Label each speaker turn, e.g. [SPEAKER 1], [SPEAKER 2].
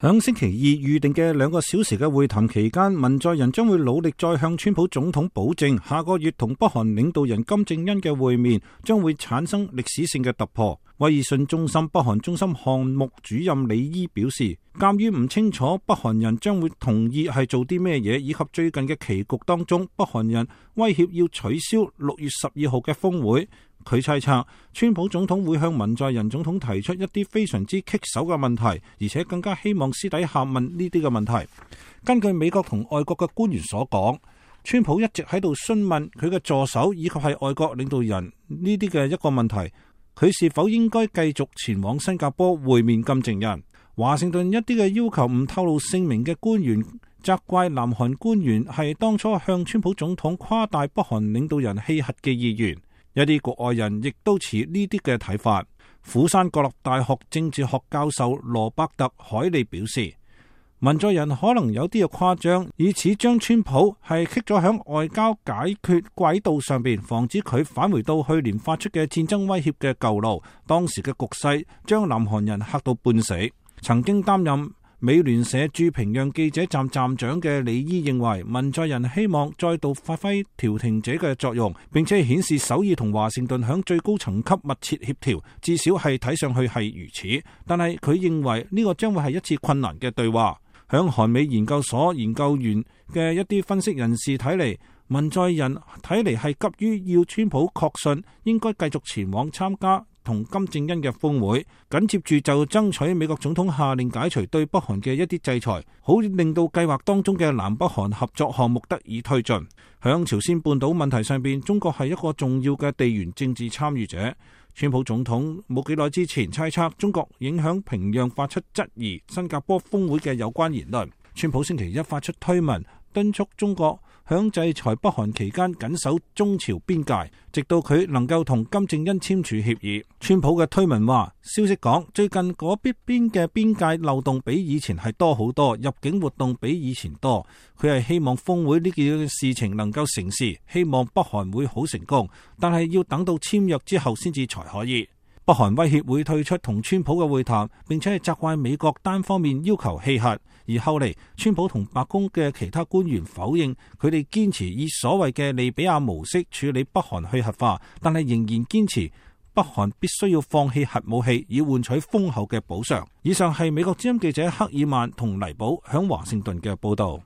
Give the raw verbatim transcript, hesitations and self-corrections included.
[SPEAKER 1] 響星期二預定嘅兩個小時嘅會談期間，文在寅將會努力再向川普總統保證，下個月同北韓領導人金正恩嘅會面將會產生歷史性嘅突破。威爾遜中心北韓中心項目主任李伊表示，鑒於唔清楚北韓人將會同意係做啲咩嘢，以及最近嘅棋局當中，北韓人威脅要取消六月十二號嘅峰會。佢猜測，川普總統會向文在寅總統提出一啲非常之棘手嘅問題，而且更加希望私底下問呢啲嘅問題。根據美國同外國嘅官員所講，川普一直喺度詢問佢嘅助手以及係外國領導人呢啲嘅一個問題，佢是否應該繼續前往新加坡會面金正恩。華盛頓一啲嘅要求唔透露姓名嘅官員責怪南韓官員係當初向川普總統誇大北韓領導人棄核嘅意願。一啲國外人亦都持呢啲嘅睇法。釜山國立大學政治學教授羅伯特海利表示，文在寅可能有啲嘅誇張，以此將川普係棘咗響外交解決軌道上邊，防止佢返回到去年發出嘅戰爭威脅嘅舊路。當時嘅局勢將南韓人嚇到半死。曾經擔任美聯社駐平壤記者站站長嘅李伊認為，文在寅希望再度發揮調停者嘅作用，並且顯示首爾同華盛頓響最高層級密切協調，至少係睇上去係如此。但係佢認為呢個將會係一次困難嘅對話。響韓美研究所研究員嘅一啲分析人士睇嚟，文在寅睇嚟係急於要川普確信應該繼續前往參加同金正恩嘅峰會，緊接住就爭取美國總統下令解除對北韓嘅一啲制裁，好令到計劃當中嘅南北韓合作項目得以推進。響朝鮮半島問題上邊，中國係一個重要嘅地緣政治參與者。川普總統冇幾耐之前猜測中國影響平壤，發出質疑新加坡峰會嘅有關言論。川普星期一發出推文，敦促中國響制裁北韓期間緊守中朝邊界，直到佢能夠同金正恩簽署協議。川普嘅推文話，消息講最近嗰邊邊嘅邊界漏洞比以前係多好多，入境活動比以前多。佢係希望峰會呢件事情能夠成事，希望北韓會好成功，但係要等到簽約之後先至才可以。北韓威脅會退出同川普嘅會談，並且係責怪美國單方面要求棄核。而後嚟，川普同白宮嘅其他官員否認佢哋堅持以所謂嘅利比亞模式處理北韓去核化，但係仍然堅持北韓必須要放棄核武器，以換取豐厚嘅補償。以上係美國之音記者克爾曼同黎寶響華盛頓嘅報道。